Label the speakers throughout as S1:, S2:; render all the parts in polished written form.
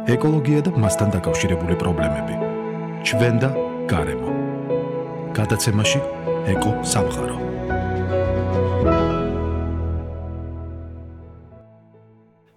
S1: ეკოლოგია და მასთან დაკავშირებული პრობლემები. ჩვენ და გარემო. გადაცემაში ეკო სამყარო.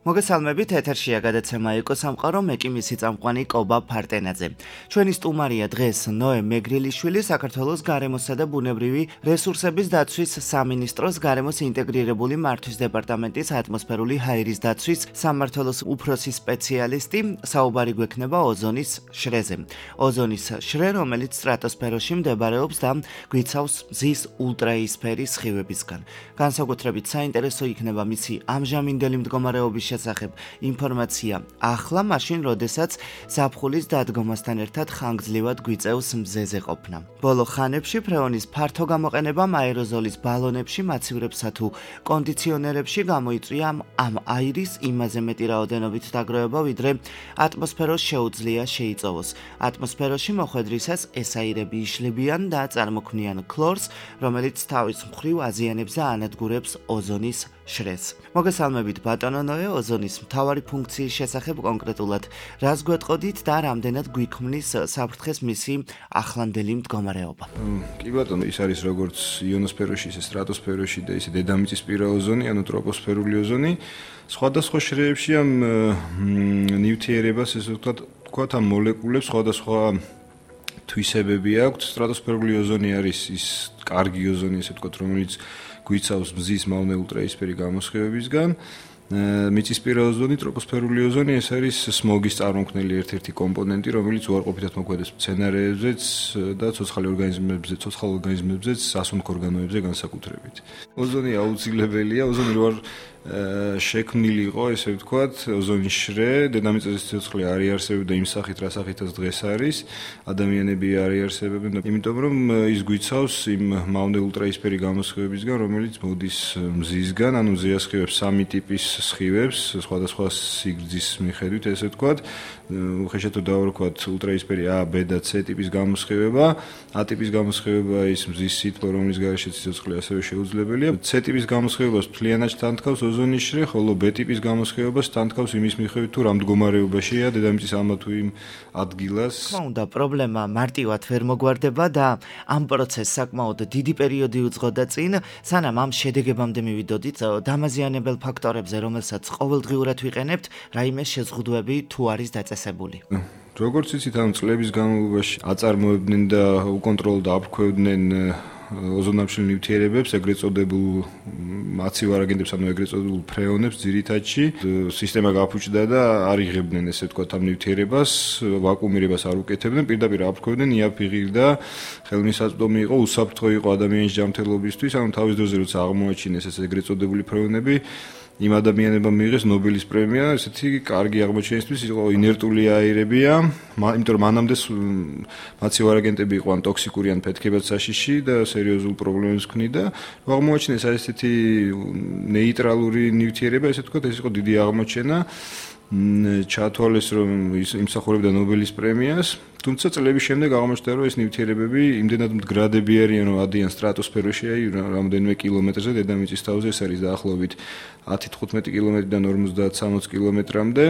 S2: მოგესალმებით, ეთერშია გადაცემა ეკო სამყარო, მე კი მისი წამყვანი კობა ფარტენაძე. ჩვენი სტუმარია დღეს ნოე მეგრილიშვილი, საქართველოს გარემოსა და ბუნებრივი რესურსების დაცვის სამინისტროს გარემოს ინტეგრირებული მართვის დეპარტამენტის ატმოსფერული ჰაერის დაცვის სამმართველოს უფროსი სპეციალისტი. საუბარი გვექნება ოზონის შრეზე. ოზონის შრე, რომელიც სტრატოსფეროში მდებარეობს და გვიცავს მზის ულტრაისფერის სხივებისგან. განსაკუთრებით საინტერესო იქნება მისი ამჟამინდელი მდგომარეობის შესახებ ინფორმაცია ახლა, მაშინ როდესაც ზაფხულის დადგომასთან ერთად ხანგრძლივად გვიწევს მზეზე ყოფნა. ბოლო ხანებში ფრეონის ფართო გამოყენებამ აეროზოლის ბალონებში, მაცივრებსა თუ კონდიციონერებში გამოიწვია ამ აირის იმაზე მეტი რაოდენობით დაგროვება, ვიდრე ატმოსფეროს შეუძლია შეიწოვოს. ატმოსფეროში მოხვედრისას ეს აირები იშლებიან და წარმოქმნიან ქლორს, რომელიც თავის მხრივ აზიანებს და ანადგურებს ოზონის შრეს. მოგესალმებით ბატონო ნოე, ოზონის მთავარი ფუნქციის შესახებ კონკრეტულად რას გვეტყოდით და რამდენად გვიქმნის საფრთხეს მისი ახლანდელი მდგომარეობა?
S3: კი ბატონო, ის არის როგორც იონოსფეროში, ისე სტრატოსფეროში და ისე დედამიწისპირა ოზონი, ანუ ტროპოსფერული ოზონი. სხვადასხვა შრეებში ამ ნივთიერებას, ესე ვთქვათ, ამ მოლეკულებს სხვადასხვა თვისებები აქვთ. სტრატოსფერული ოზონი არის ის კარგი ოზონი, ესე ვთქვათ, რომელიც გვიცავს მზის მავნე ულტრაისფერი გამოსხივებისგან. მიწისპირა ოზონი, ტროპოსფერული ოზონი, ეს არის სმოგის წარმოქმნელი ერთ-ერთი კომპონენტი, რომელიც უარყოფითად მოქმედებს მცენარეებზეც და ცოცხალ ორგანიზმებზეც, სასუნთქ ორგანოებზე განსაკუთრებით. ოზონი აუცილებელია, ოზონი რო არ შექმნილი იყო, ესე ვთქვათ, ოზონის შრე, დედამიწაზე სიცოცხლე არ იარსებებდა იმ სახით, რა სახითაც დღეს არის, ადამიანები არ იარსებებენ და იმიტომ რომ ის გვიცავს იმ მავნე ულტრაისფერი გამოსხივებისგან, რომელიც მოდის მზისგან, ანუ მზეა სხივებს სამი ტიპის სხივებს, სხვადასხვა სიგრძის მიხედვით, ესე ვთქვათ, უხეშად დავარქვათ ულტრაისფერი A, B და C ტიპის გამოსხივება. A ტიპის გამოსხივება ის მზის სითბო, რომლის გარეშე სიცოცხლე ასევე შეუძლებელია. C ტიპის გამოსხივებას მთლიანად თანთქავს ოზონის შრე, ხოლო B ტიპის გამოსხივებას თანთქავს იმის მიხედვით, თუ რა მდგომარეობაშია დედამიწის ამა თუ იმ ადგილას.
S2: თქმა უნდა, პრობლემა მარტივად ვერ მოგვარდება და ამ პროცესს საკმაოდ დიდი პერიოდი უძღოდა წინ, სანამ ამ შედეგებამდე მივიდოდით დამაზიანებელ ფაქტორებზე, რომელსაც ყოველდღიურად ვიყენებთ, რაიმე შეზღუდვები თუ არის დაწესებული.
S3: როგორც იცით, ამ წლების განმავლობაში აწარმოებდნენ და უკონტროლოდ აფრქვევდნენ ოზონამშრალ ნივთიერებებს, ეგრეთ წოდებულ მაცივარ აგენტებს, ანუ ეგრეთ წოდებულ ფრეონებს ძირითადში. სისტემა გაფუჭდა და არ იღებდნენ, ესე ვთქვათ, ამ ნივთიერებას, ვაკუუმირებას არ უკეთებდნენ, პირდაპირ აფრქვევდნენ, იაფიღირდა, ხელმისაწვდომი იყო, უსაფრთხო იყო ადამიანის ჯანმრთელობისთვის, ანუ თავის დროზე როცა აღმოაჩინეს ეს ეგრეთ წოდებული ფრეონები, იმ ადამიანებმა მიიღეს ნობელის პრემია, ესეთი კარგი აღმოჩენისთვის, იყო ინერტული აირებია, იმიტომ რომ მანამდე მაცივარ აგენტები იყო ან ტოქსიკური ან ფეთქებად საშიში და სერიოზულ პრობლემებს ქმნიდა. აღმოაჩინეს ესეთი ნეიტრალური ნივთიერება, ესე ვთქვათ, ეს იყო დიდი აღმოჩენა. ჩათვალეს, რომ იმსახურებდა ნობელის პრემიას, თუმცა წლების შემდეგ აღმოჩნდა, რომ ეს ნივთიერებები იმდენად მდგრადები არიან, რომ ადიან სტრატოსფეროში, რამდენიმე კილომეტრზე დედამიწის თავზე, ეს არის დაახლოებით 10-15 კილომეტრიდან 50-60 კილომეტრამდე,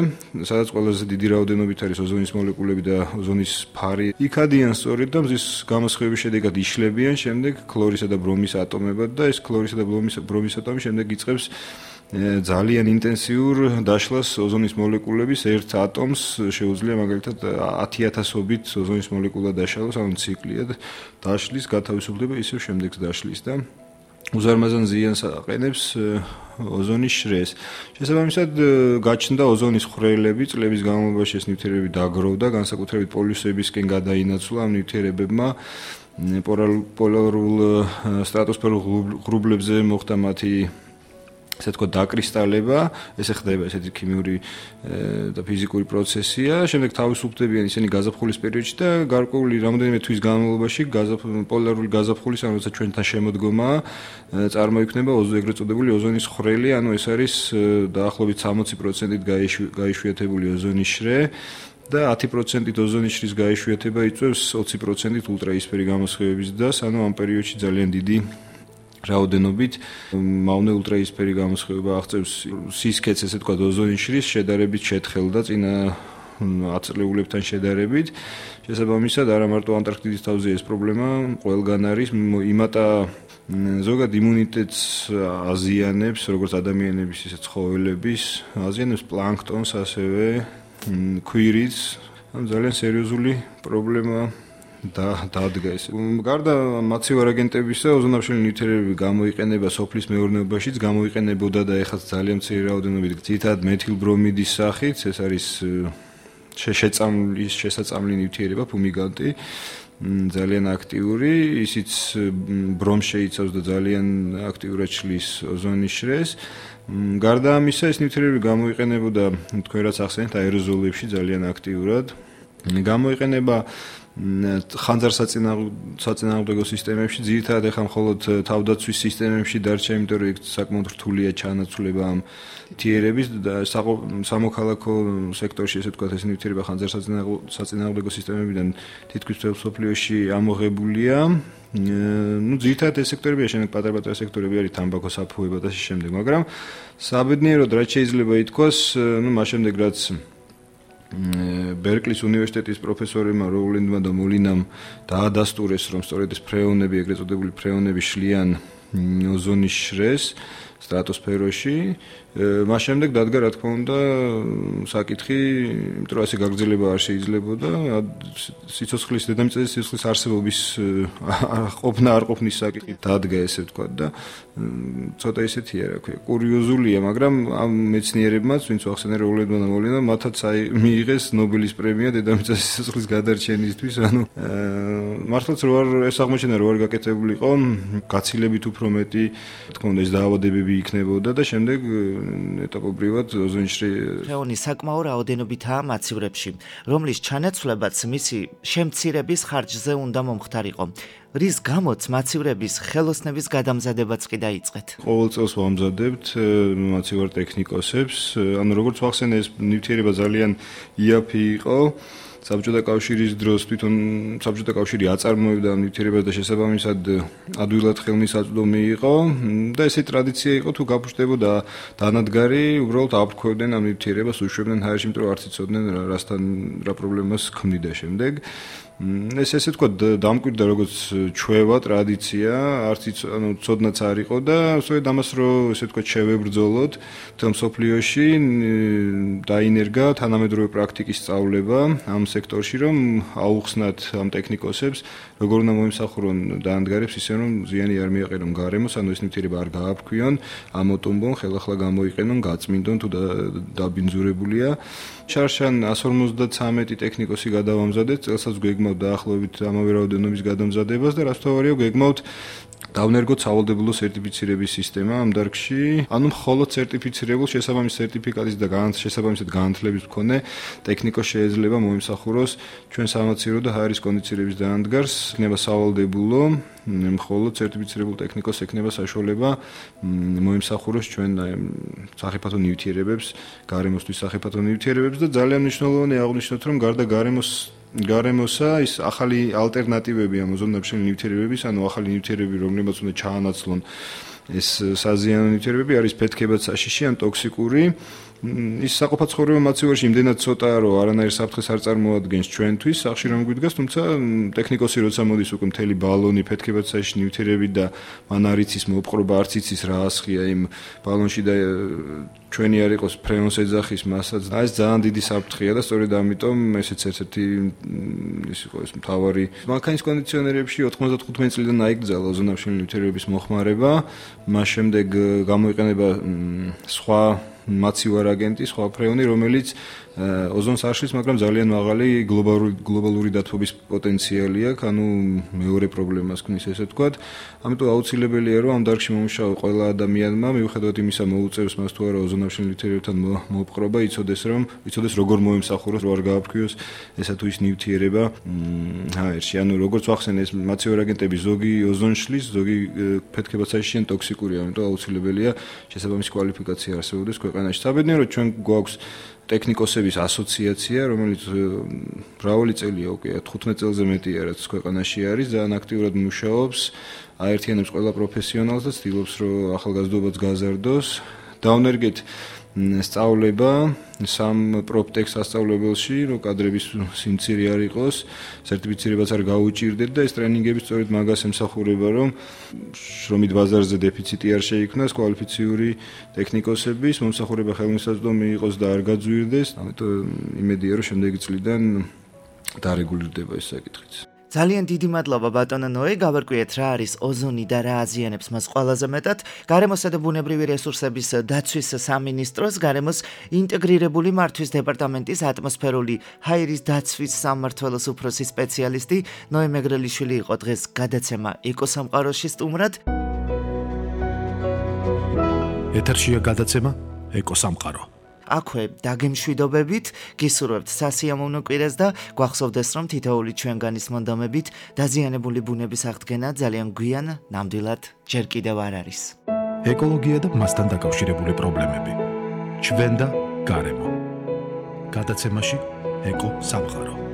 S3: სადაც ყველაზე დიდი რაოდენობით არის ოზონის მოლეკულები და ოზონის ფარი. იქ ადიან სწორედ და მზის გამოსხივების შედეგად იშლებიან შემდეგ ქლორისა და ბრომის ატომებად და ეს ქლორისა და ბრომის ატომი შემდეგ იწყებს ძალიან ინტენსიურ დაშლას ოზონის მოლეკულების ერთ ატომს შეუძლია მაგალითად 10,000-ობით ოზონის მოლეკულა დაშალოს, ანუ ციკლია დაშლის, გათავისუფლდება, ისევ შემდეგს დაშლის და უზარმაზარ ზიანს აყენებს ოზონის შრეს. შესაბამისად, გაჩნდა ოზონის ხვრელები, წლების განმავლობაში ეს ნივთიერებები დაგროვდა, განსაკუთრებით პოლიუსებისკენ გადაინაცვლა ამ ნივთიერებებმა. პოლარულ სტრატოსფერულ ღრუბლებზე მოხდა მათი ესე თქვა დაკრისტალება, ესე ხდება ესეთი ქიმიური და ფიზიკური პროცესია. შემდეგ თავისუფლებიან ისინი გაზაფხულის პერიოდში და გარკვეული რამდენიმე თვის განმავლობაში პოლარული გაზაფხულის, ანუ როცა ჩვენთან შემოდგომა წარმოიქმნება ეგრეთ წოდებული ოზონის ხვრელი, ანუ ეს არის დაახლოებით 60%-ით გაიშვიათებული ოზონის შრე. და 10%-ით ოზონის შრის გაიშვიათება იწვევს 20%-ით ულტრაისფერი გამოსხივების დასს, ანუ ამ პერიოდში ძალიან დიდი რაოდენობით მავნე ულტრაისფერი გამოსხივება აღწევს სისქეთს, ესე თქვა, ოზონის შრის შედარებით შეთხელ და წინა აწლეულებთან შედარებით. შესაბამისად, არა მარტო ანტარქტიდის თავზე ეს პრობლემა ყველგან არის, იმატა ზოგად იმუნიტეტს აზიანებს, როგორც ადამიანების, ისე ცხოველების, აზიანებს პლანქტონს, ასევე ქვირითს, ძალიან სერიოზული პრობლემა დადგა ეს. გარდა მაცივარ აგენტებისა, ოზონამშრომელი ნივთიერებები გამოიყენება სოფლის მეურნეობაშიც, გამოიყენებოდა და ეხლა ძალიან მცირე რაოდენობით ძირითადად მეთილბრომიდის სახით, ეს არის შესაწამლი ნივთიერება, ფუმიგანტი, ძალიან აქტიური, ისიც ბრომს შეიცავს და ძალიან აქტიურად შლის ოზონის შრეს. გარდა ამისა, ეს ნივთიერებები გამოიყენებოდა, თქვენ რაც ახსენეთ, აეროზოლებში ძალიან აქტიურად. გამოიყენება ხანძარსაწინააღმდეგო სისტემებში, ძირითადად ეხლა მხოლოდ თავდაცვის სისტემებში დარჩა, იმიტომ რომ იქ საკმაოდ რთულია ჩანაცვლება ამ ნივთიერების და სამოქალაქო სექტორში, ესე ვთქვათ, ეს ნივთიერება ხანძარსაწინააღმდეგო სისტემებიდან თითქმის მთელ მსოფლიოში ამოღებულია. ძირითადად ეს სექტორებია, შემდეგ პატარ-პატარა სექტორები არის თამბაქო, საფუება და შემდეგ, მაგრამ საბედნიეროდ რაც შეიძლება ითქვას, მას შემდეგ რაც ბერკლის უნივერსიტეტის პროფესორებმა როულენდმა და მოლინამ დაადასტურეს, რომ სწორედ ეს ფრეონები, ეგრეთ წოდებული ფრეონები შლიან ოზონის შრეს სტრატოსფეროში. მას შემდეგ დადგა, რა თქმა უნდა, საკითხი, იმიტომ რომ ასე გაგრძელება არ შეიძლებოდა, სიცოცხლის დედამიწაზე სიცოცხლის არსებობის ყოფნა არ ყოფნის საკითხი დადგა, ესე ვთქვათ და ცოტა ისეთია, რა ქვია, კურიოზულია, მაგრამ ამ მეცნიერებმაც, ვინც ახსენე როულენდმა და მოლინამ, მათაც მიიღეს ნობელის პრემია დედამიწაზე სიცოცხლის გადარჩენისთვის, ანუ მართლაც რო არ ეს აღმოჩენა რო არ გაკეთებულიყო, გაცილებით უფრო მეტი, თქო უნდა ეს დაავადებები იქნებოდა და შემდეგ ეტაპობრივად ოზონში
S2: ფრეონის საკმაო რაოდენობითაა მაცივრებში, რომლის ჩანაცვლებაც მისი შემცირების ხარჯზე უნდა მომხდარიყო. რის გამოც მაცივრების ხელოსნების გადამზადებაც კი დაიწყეთ.
S3: ყოველ წელს ვამზადებთ მაცივარ ტექნიკოსებს, ანუ როგორც ვახსენე, ეს ნივთიერება ძალიან იაფი იყო. საბჭოთა კავშირის დროს თვითონ საბჭოთა კავშირი აწარმოებდა ამ ნივთიერებას და შესაბამისად ადვილად ხელმისაწვდომი იყო და ესე ტრადიცია იყო, თუ გაფუჭდებოდა დანადგარი, უბრალოდ აფრქვევდნენ ამ ნივთიერებას, უშვებდნენ ჰაერში, იმიტომ რომ არც იცოდნენ რასთან რა პრობლემას ქმნიდა შემდეგ. ეს ესე თქვა დამკვირდა როგორც ჩვევა ტრადიცია, არც ანუ ცოდნაც არ იყო და სწორედ ამას რომ ესე თქვა შევებრძოლოთ თელ მსოფლიოში დაინერგა თანამედროვე პრაქტიკის სწავლება ამ სექტორში, რომ აუხსნათ ამ ტექნიკოსებს, როგორ უნდა მოიმსახურონ დაანდგარებს, ისე რომ ზიანი არ მიაყენონ გარემოს, ანუ ეს ნივთიერება არ გააფრქვიონ, ამოტომბონ, ხელახლა გამოიყენონ, გაწმინდონ თუ დაბინძურებულია. შარშან 153 ტექნიკოსი გადავამზადეთ, წელსაც გვეგმავთ დაახლოებით ამავე რაოდენობის გადამზადებას და რაც თავარია გვეგმავთ დავნერგოთ სავალდებულო სერტიფიცირების სისტემა ამ დარგში, ანუ მხოლოდ სერტიფიცირებულ შესაბამის სერტიფიკატის და შესაბამისად განათლების მქონე ტექნიკოს შეიძლება მოიმსახუროს ჩვენ სამაცივრო და ჰაერის კონდიცირების დაანდგარს, იქნება სავალდებულო, მხოლოდ სერტიფიცირებულ ტექნიკოს ექნება საშუალება მოიმსახუროს ჩვენ სახიფათო ნივთიერებებს, გარემოსთვის სახიფათო ნივთიერებებს და ძალიან მნიშვნელოვანია აღნიშნოთ, რომ გარდა გარემოსა ის ახალი ალტერნატივები ამ ოზონდამშრომელი ნივთიერებების, ანუ ახალი ნივთიერებები, რომლებიც უნდა ჩაანაცვლონ ეს საზიანო ნივთიერებები, არის ფეთქებად საშიში ან ტოქსიკური. ის საყოფაცხოვრებო მაცივარში იმდენად ცოტაა, რომ არანაირ საფრთხეს არ წარმოადგენს ჩვენთვის, სახში რომ გვიდგას, თუმცა ტექნიკოსი როცა მოდის უკვე მთელი ბალონი ფეთქებად საშიში ნივთიერებით და მან არ იცის მოპყრობა, არც იცის რა ასხია იმ ბალონში და ჩვენი არ იყოს ფრეონს ეძახის მასაც. ეს ძალიან დიდი საფრთხეა და სწორედ ამიტომ ესეც ერთ-ერთი ის იყო ეს მთავარი მანქანის კონდიციონერებში 95 წლიდან აიგრძალა ოზონამშრომელი ნივთიერებების მოხმარება, მას შემდეგ გამოიყენება სხვა მაცივარ აგენტი, სხვა ფრეონი, რომელიც ოზონს არ შლის, მაგრამ ძალიან მაღალი გლობალური დათბობის პოტენციალი აქვს, ანუ მეორე პრობლემას ქმნის, ესე ვთქვათ. ამიტომ აუცილებელია, რომ ამ დარგში მომუშავე ყველა ადამიანმა, მიუხედავად იმისა, მოუწევს მას თუ არა ოზონამშრომელი ნივთიერებებთან მოპყრობა, იცოდეს როგორ მოემსახუროს, რო არ გააფრქვიოს ესა თუ ის ნივთიერება ჰაერში. ანუ როგორც ვახსენე, ეს მაცივარ აგენტები ზოგი ოზონს შლის, ზოგი ფეთქებად საშიში ან ტოქსიკურია, ამიტომ აუცილებელია შესაბამისი კვალიფიკაცია არსებობდეს ქვეყანაში. საბედნიეროდ ჩვენ გვაქვს ტექნიკოსების ასოციაცია, რომელიც მრავალი წელია უკვე 15 წელზე მეტია, რაც ქვეყანაში არის, ძალიან აქტიურად მუშაობს, აერთიანებს ყველა პროფესიონალს და ცდილობს, რომ ახალგაზრდობაც გაზარდოს. დავნერგეთ სწავლება სამ პროპტექს სასწავლებელში, რომ კადრების სიმცირე არ იყოს, სერტიფიცირებაც არ გაუჭირდეთ და ეს ტრენინგები სწორედ მაგას ემსახურება, რომ შრომით ბაზარზე დეფიციტი არ შეიქმნას, კვალიფიციური ტექნიკოსების მომსახურება ხელმისაწვდომი იყოს და არ გაძვირდეს. ამიტომ იმედია, რომ შემდეგი წლიდან დარეგულირდება ეს საკითხიც.
S2: ძალიან დიდი მადლობა ბატონო ნოე, გავარკვიეთ რა არის ოზონი და რა აზიანებს მას ყველაზე მეტად. გარემოსა და ბუნებრივი რესურსების დაცვის სამინისტროს გარემოს ინტეგრირებული მართვის დეპარტამენტის ატმოსფერული ჰაერის დაცვის სამმართველოს უფროსი სპეციალისტი ნოე მეგრელიშვილი იყო დღეს გადაცემა ეკოსამყაროში სტუმრად.
S1: ეთერშია გადაცემა ეკოსამყარო.
S2: აქვე დაგემშვიდობებით, გისურვებთ სასიამოვნო კვირას და გვახსოვდეს, რომ თითოეული ჩვენგანის მონდომებით დაზიანებული ბუნების აღდგენა ძალიან გვიან ნამდვილად ჯერ კიდევ არ არის.
S1: ეკოლოგია და მასთან დაკავშირებული პრობლემები. ჩვენ და გარემო. გადაცემაში ეკო სამყარო.